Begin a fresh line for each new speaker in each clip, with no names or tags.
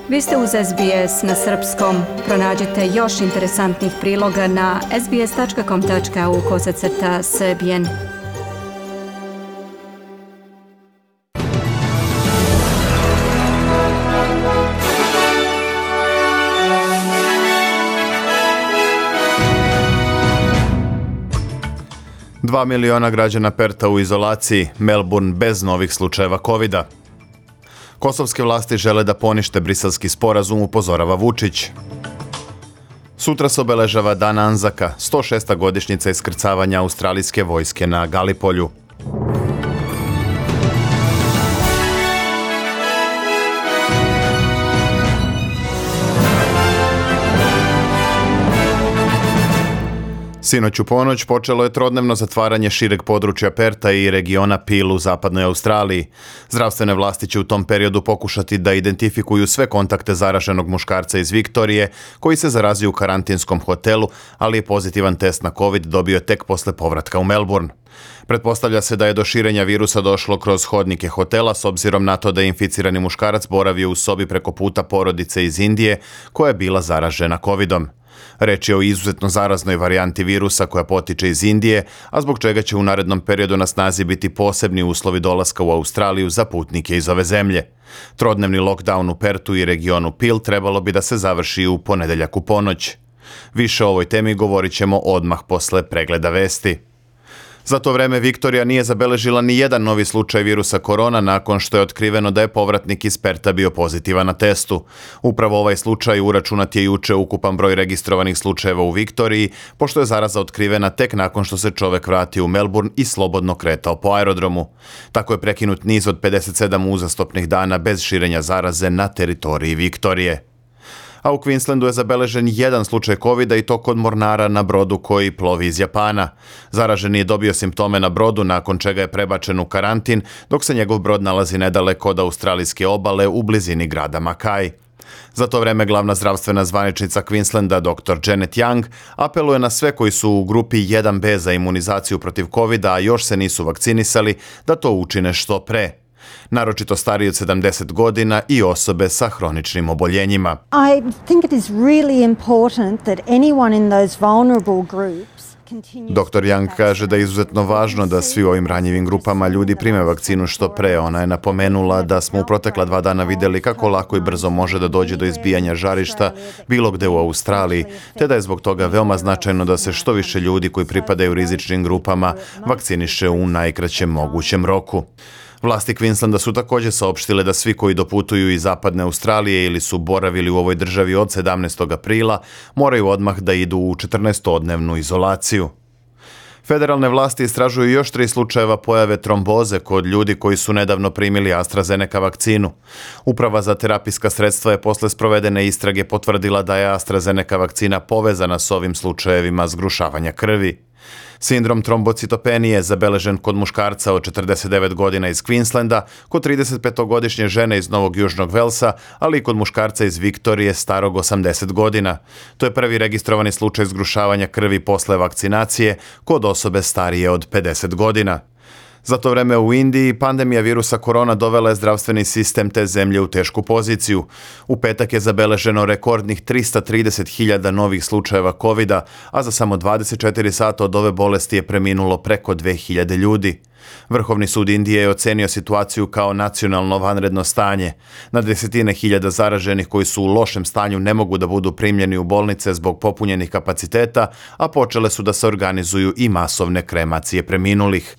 Vi ste uz SBS na srpskom. Pronađite još interesantnih priloga na sbs.com.au/srbijen.
Dva miliona građana Perta u izolaciji, Melbourne bez novih slučajeva covida. Kosovske vlasti žele da ponište briselski sporazum, upozorava Vučić. Sutra se obeležava Dan Anzaka, 106. godišnjica iskrcavanja australijske vojske na Galipolju. Sinoć u ponoć počelo je trodnevno zatvaranje šireg područja Perta i regiona Peel u zapadnoj Australiji. Zdravstvene vlasti će u tom periodu pokušati da identifikuju sve kontakte zaraženog muškarca iz Viktorije koji se zarazio u karantinskom hotelu, ali je pozitivan test na COVID dobio tek posle povratka u Melbourne. Pretpostavlja se da je do širenja virusa došlo kroz hodnike hotela s obzirom na to da je inficirani muškarac boravio u sobi preko puta porodice iz Indije koja je bila zaražena covidom. Reč je o izuzetno zaraznoj varijanti virusa koja potiče iz Indije, a zbog čega će u narednom periodu na snazi biti posebni uslovi dolaska u Australiju za putnike iz ove zemlje. Trodnevni lockdown u Pertu i regionu Peel trebalo bi da se završi u ponedeljak u ponoć. Više o ovoj temi govorit ćemo odmah posle pregleda vesti. Za to vreme Viktorija nije zabeležila ni jedan novi slučaj virusa korona nakon što je otkriveno da je povratnik iz Perta bio pozitivan na testu. Upravo ovaj slučaj uračunat je juče ukupan broj registrovanih slučajeva u Viktoriji, pošto je zaraza otkrivena tek nakon što se čovek vratio u Melbourne i slobodno kretao po aerodromu. Tako je prekinut niz od 57 uzastopnih dana bez širenja zaraze na teritoriji Viktorije. A u Queenslandu je zabeležen jedan slučaj covida i to kod mornara na brodu koji plovi iz Japana. Zaraženi je dobio simptome na brodu nakon čega je prebačen u karantin, dok se njegov brod nalazi nedaleko od australijske obale u blizini grada Mackay. Za to vreme glavna zdravstvena zvaničnica Queenslanda dr. Janet Young apeluje na sve koji su u grupi 1B za imunizaciju protiv covida, a još se nisu vakcinisali, da to učine što pre. Naročito stariji od 70 godina i osobe sa hroničnim oboljenjima.
I think it is really important that anyone in those vulnerable groups
Dr. Young kaže da je izuzetno važno da svi u ovim ranjivim grupama ljudi prime vakcinu što pre. Ona je napomenula da smo u protekla 2 dana vidjeli kako lako i brzo može da dođe do izbijanja žarišta bilo gde u Australiji, te da je zbog toga veoma značajno da se što više ljudi koji pripadaju rizičnim grupama vakciniše u najkraćem mogućem roku. Vlasti Queenslanda su također saopštile da svi koji doputuju iz zapadne Australije ili su boravili u ovoj državi od 17. aprila moraju odmah da idu u 14-dnevnu izolaciju. Federalne vlasti istražuju još 3 slučajeva pojave tromboze kod ljudi koji su nedavno primili AstraZeneca vakcinu. Uprava za terapijska sredstva je posle sprovedene istrage potvrdila da je AstraZeneca vakcina povezana s ovim slučajevima zgrušavanja krvi. Sindrom trombocitopenije zabeležen kod muškarca od 49 godina iz Queenslanda, kod 35-godišnje žene iz Novog Južnog Velsa, ali i kod muškarca iz Viktorije starog 80 godina. To je prvi registrovani slučaj zgrušavanja krvi posle vakcinacije kod osobe starije od 50 godina. Za to vreme u Indiji pandemija virusa korona dovela je zdravstveni sistem te zemlje u tešku poziciju. U petak je zabeleženo rekordnih 330.000 novih slučajeva covida, a za samo 24 sata od ove bolesti je preminulo preko 2.000 ljudi. Vrhovni sud Indije je ocenio situaciju kao nacionalno vanredno stanje. Na desetine hiljada zaraženih koji su u lošem stanju ne mogu da budu primljeni u bolnice zbog popunjenih kapaciteta, a počele su da se organizuju i masovne kremacije preminulih.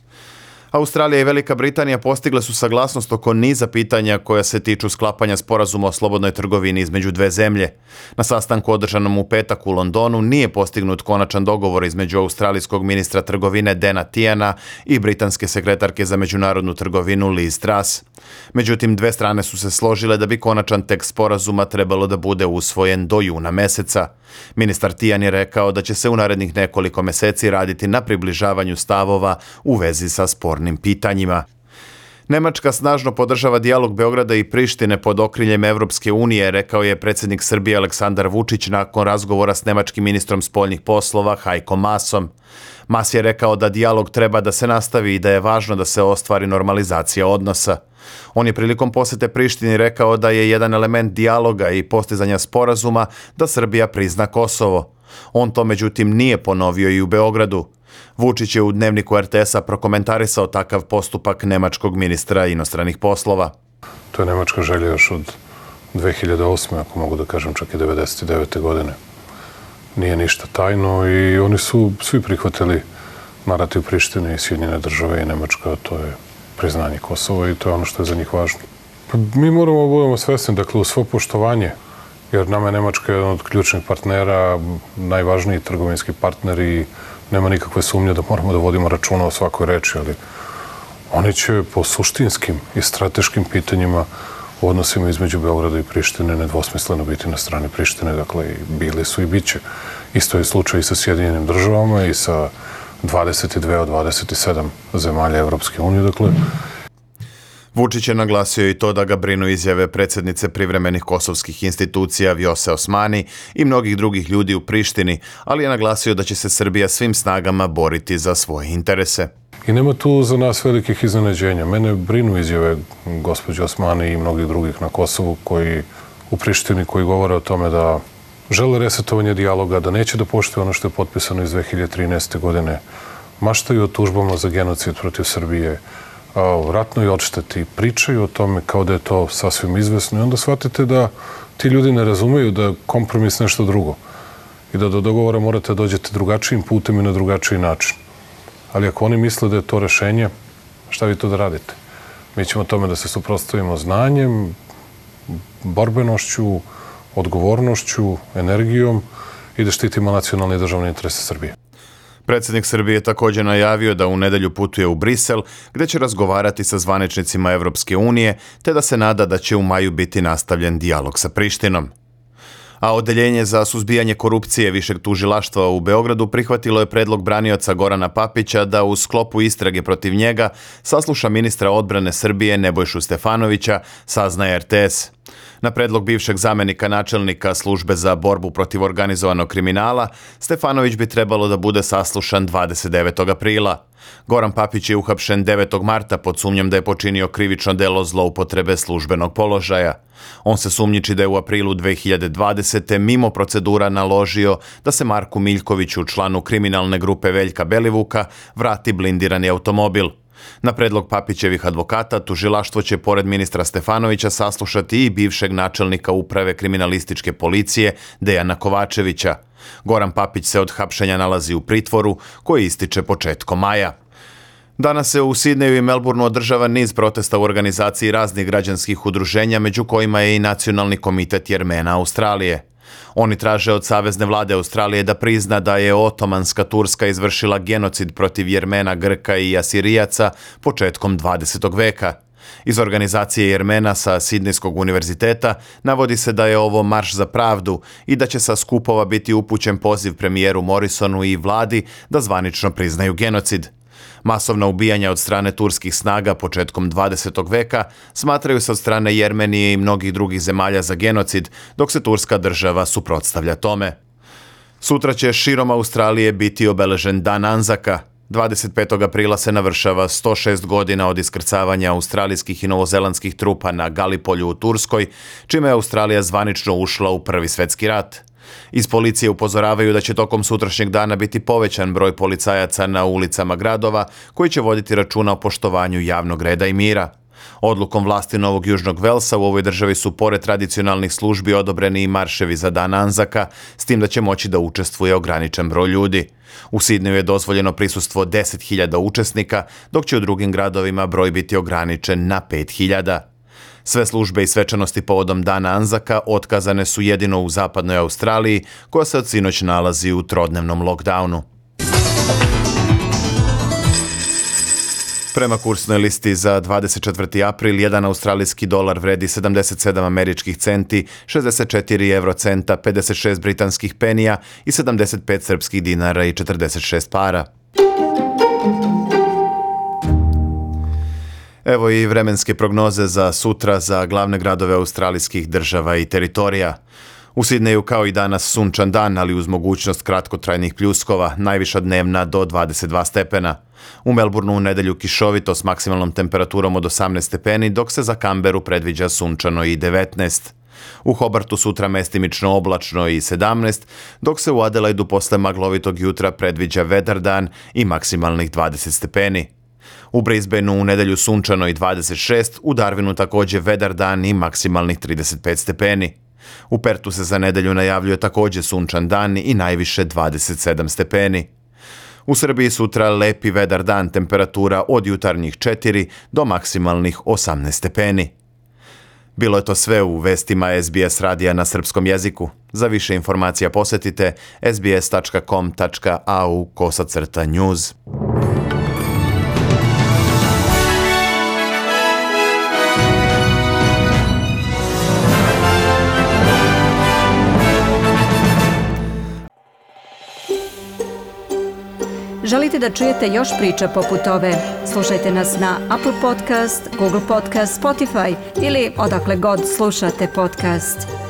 Australija i Velika Britanija postigle su saglasnost oko niza pitanja koja se tiču sklapanja sporazuma o slobodnoj trgovini između dve zemlje. Na sastanku održanom u petak u Londonu nije postignut konačan dogovor između australijskog ministra trgovine Dana Tiana i britanske sekretarke za međunarodnu trgovinu Liz Truss. Međutim, dve strane su se složile da bi konačan tekst sporazuma trebalo da bude usvojen do juna meseca. Ministar Tian je rekao da će se u narednih nekoliko meseci raditi na približavanju stavova u vezi sa spornim pitanjima. Nemačka snažno podržava dijalog Beograda i Prištine pod okriljem Evropske unije, rekao je predsjednik Srbije Aleksandar Vučić nakon razgovora s nemačkim ministrom spoljnih poslova Heiko Maasom. Maas je rekao da dijalog treba da se nastavi i da je važno da se ostvari normalizacija odnosa. On je prilikom posete Prištini rekao da je jedan element dijaloga i postizanja sporazuma da Srbija prizna Kosovo. On to međutim nije ponovio i u Beogradu. Vučić je u dnevniku RTS-a prokomentarisao takav postupak nemačkog ministra inostranih poslova.
To je nemačka želja još od 2008. ako mogu da kažem, čak i 1999. godine. Nije ništa tajno i oni su svi prihvatili narativ Prištine i Sjedinjene države i Nemačka, to je priznanje Kosova i to je ono što je za njih važno. Mi moramo da budemo svesni, dakle, u svo poštovanje, jer nama je Nemačka jedan od ključnih partnera, najvažniji trgovinski partner i nema nikakve sumnje da moramo da vodimo računa o svakoj reči, ali oni će po suštinskim i strateškim pitanjima u odnosima između Beograda i Prištine nedvosmisleno biti na strani Prištine, dakle, bili su i bit će. Isto je slučaj i sa Sjedinjenim državama i sa 22 od 27 zemalja Evropske unije, dakle.
Vučić je naglasio i to da ga brinu izjave predsjednice privremenih kosovskih institucija Vjose Osmani i mnogih drugih ljudi u Prištini, ali je naglasio da će se Srbija svim snagama boriti za svoje interese.
I nema tu za nas velikih iznenađenja. Mene brinu izjave gospođe Osmani i mnogih drugih na Kosovu u Prištini koji govore o tome da žele resetovanje dijaloga, da neće da poštuju ono što je potpisano iz 2013. godine, maštaju o tužbama za genocid protiv Srbije, o ratnoj odšteti, pričaju o tome kao da je to sasvim izvesno i onda shvatite da ti ljudi ne razumeju da kompromis nešto drugo i da do dogovora morate da dođete drugačijim putem i na drugačiji način. Ali ako oni misle da je to rešenje, šta vi to da radite? Mi ćemo tome da se suprotstavimo znanjem, borbenošću, odgovornošću, energijom i da štitimo nacionalne i državne interese Srbije.
Predsjednik Srbije također najavio da u nedelju putuje u Brisel, gdje će razgovarati sa zvaničnicima Evropske unije, te da se nada da će u maju biti nastavljen dijalog sa Prištinom. A Odeljenje za suzbijanje korupcije Višeg tužilaštva u Beogradu prihvatilo je predlog branioca Gorana Papića da u sklopu istrage protiv njega sasluša ministra odbrane Srbije Nebojšu Stefanovića, saznaje RTS. Na predlog bivšeg zamenika načelnika službe za borbu protiv organizovanog kriminala, Stefanović bi trebalo da bude saslušan 29. aprila. Goran Papić je uhapšen 9. marta pod sumnjom da je počinio krivično delo zloupotrebe službenog položaja. On se sumnjiči da je u aprilu 2020. mimo procedura naložio da se Marku Miljkoviću, članu kriminalne grupe Veljka Belivuka, vrati blindirani automobil. Na predlog Papićevih advokata, tužilaštvo će pored ministra Stefanovića saslušati i bivšeg načelnika uprave kriminalističke policije Dejana Kovačevića. Goran Papić se od hapšenja nalazi u pritvoru koji ističe početkom maja. Danas se u Sidneju i Melbourneu održava niz protesta u organizaciji raznih građanskih udruženja, među kojima je i Nacionalni komitet Jermena Australije. Oni traže od Savezne vlade Australije da prizna da je Otomanska Turska izvršila genocid protiv Jermena, Grka i Asirijaca početkom 20. veka. Iz organizacije Jermena sa Sidnejskog univerziteta navodi se da je ovo marš za pravdu i da će sa skupova biti upućen poziv premijeru Morrisonu i vladi da zvanično priznaju genocid. Masovna ubijanja od strane turskih snaga početkom 20. veka smatraju se od strane Jermenije i mnogih drugih zemalja za genocid, dok se turska država suprotstavlja tome. Sutra će širom Australije biti obeležen Dan Anzaka. 25. aprila se navršava 106 godina od iskrcavanja australijskih i novozelandskih trupa na Galipolju u Turskoj, čime je Australija zvanično ušla u Prvi svjetski rat. Iz policije upozoravaju da će tokom sutrašnjeg dana biti povećan broj policajaca na ulicama gradova koji će voditi računa o poštovanju javnog reda i mira. Odlukom vlasti Novog Južnog Velsa u ovoj državi su pored tradicionalnih službi odobreni i marševi za Dan Anzaka, s tim da će moći da učestvuje ograničen broj ljudi. U Sidneju je dozvoljeno prisustvo 10.000 učesnika, dok će u drugim gradovima broj biti ograničen na 5.000. Sve službe i svečanosti povodom Dana Anzaka otkazane su jedino u zapadnoj Australiji, koja se od sinoć nalazi u trodnevnom lockdownu. Prema kursnoj listi za 24. april, jedan australijski dolar vredi 77 američkih centi, 64 eurocenta, 56 britanskih penija i 75 srpskih dinara i 46 para. Evo i vremenske prognoze za sutra za glavne gradove australijskih država i teritorija. U Sidneju kao i danas sunčan dan, ali uz mogućnost kratkotrajnih pljuskova, najviša dnevna do 22 stepena. U Melbourneu u nedelju kišovito s maksimalnom temperaturom od 18 stepeni, dok se za Canberu predviđa sunčano i 19. U Hobartu sutra mestimično oblačno i 17, dok se u Adelaidu posle maglovitog jutra predviđa vedar dan i maksimalnih 20 stepeni. U Brisbaneu u nedelju sunčano i 26, u Darwinu također vedar dan i maksimalnih 35 stepeni. U Pertu se za nedelju najavljuje također sunčan dan i najviše 27 stepeni. U Srbiji sutra lepi vedar dan, temperatura od jutarnjih 4 do maksimalnih 18 stepeni. Bilo je to sve u vestima SBS radija na srpskom jeziku. Za više informacija posjetite sbs.com.au/news.
Želite da čujete još priča poput ove? Slušajte nas na Apple Podcast, Google Podcast, Spotify ili odakle god slušate podcast.